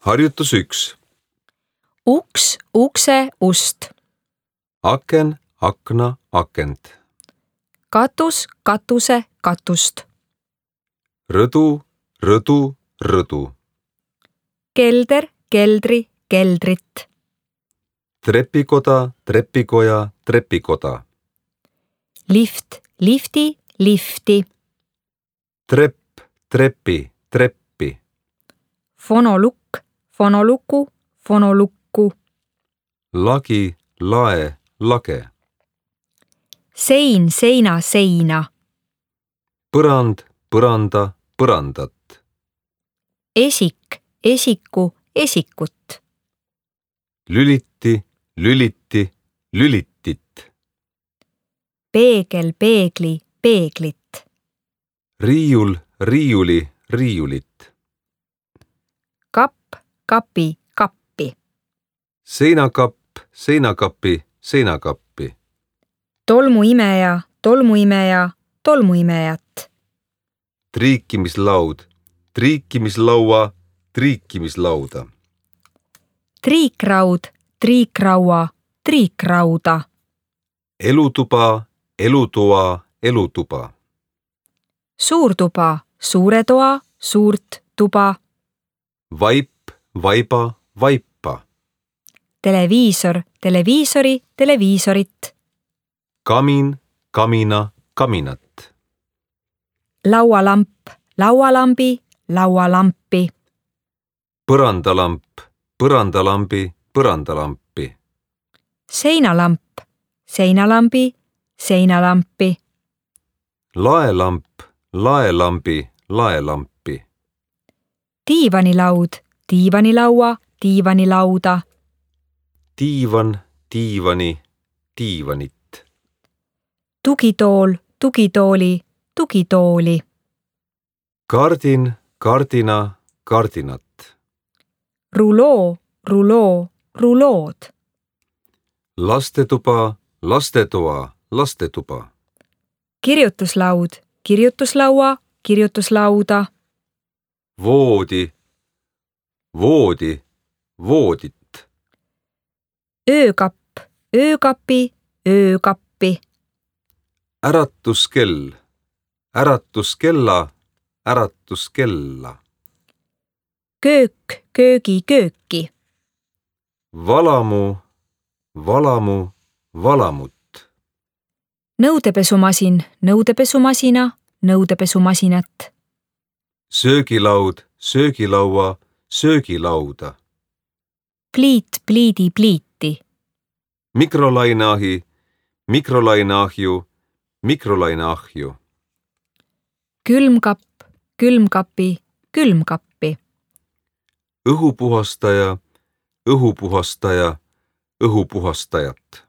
Harjutus 1. Uks, ukse, ust. Aken, akna, akent. Katus, katuse, katust. Rõdu, rõdu, rõdu. Kelder, keldri, keldrit. Trepikoda, trepikoja, trepikoda. Lift, lifti, lifti. Trepp, trepi, treppi. Fonolukk, fonoluku, fonolukku. Lagi, lae, lage. Sein, seina, seina. Põrand, põranda, põrandat. Esik, esiku, esikut. Lüliti, lüliti, lülitit. Peegel, peegli, peeglit. Riiul, riiuli, riiulit. Kapp, kapi, kappi. Seinakapp, seinakapi, seinakappi. Tolmuimeja, tolmuimeja, tolmuimejat. Triikimislaud, triikimislaua, triikimislauda. Triikraud, triikraua, triikrauda. Elutuba, elutoa, elutuba. Suurtuba, suure toa, suurt tuba. Vaip, vaiba, vaipa. Televiisor, televiisori, televiisorit. Kamin, kamina, kaminat. Laualamp, laualambi, laualampi. Põrandalamp, põrandalambi, põrandalampi. Seinalamp, seinalambi, seinalampi. Laelamp, laelambi, laelampi. Diivanilaud, diivanilaua, diivanilauda. Tiivan, tiivani, tiivanit. Tugitool, tugitooli, tugitooli. Kardin, kardina, kardinat. Ruloo, ruloo, rulood. Lastetuba, lastetoa, lastetuba. Kirjutuslaud, kirjutuslaua, kirjutuslauda. Voodi, voodi, voodit. Öökapp, öökapi, öökappi. Äratuskell, äratuskella, äratuskella. Köök, köögi, kööki. Valamu, valamu, valamut. Nõudepesumasin, nõudepesumasina, nõudepesumasinat. Söögilaud, söögilaua, söögilauda. Pliit, pliidi, pliiti. Mikrolaineahi, mikrolaineahju, mikrolaineahju. Külmkapp, külmkapi, külmkappi. Õhupuhastaja, õhupuhastaja, õhupuhastajat.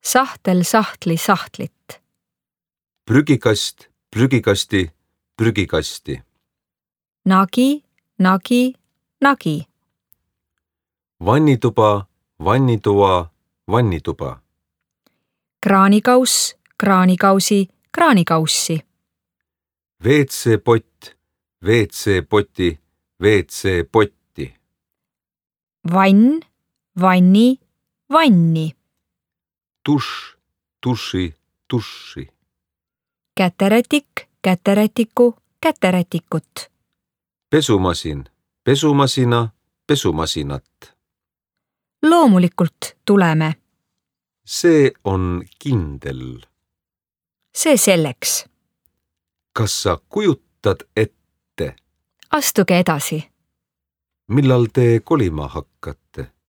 Sahtel, sahtli, sahtlit. Prügikast, prügikasti, prügikasti. Nagi, nagi, nagi. Vannituba, vannitoa, vannituba. Kraanikauss, kraanikausi, kraanikaussi. WC-pott, WC-poti, WC-potti. Vann, vanni, vanni. Tušš, tuši, tuši. Käterätik, käterätiku, käterätikut. Pesumasin, pesumasina, pesumasinat. Loomulikult tuleme. See on kindel. See selleks. Kas sa kujutad ette, Astuge edasi. millal te kolima hakkate?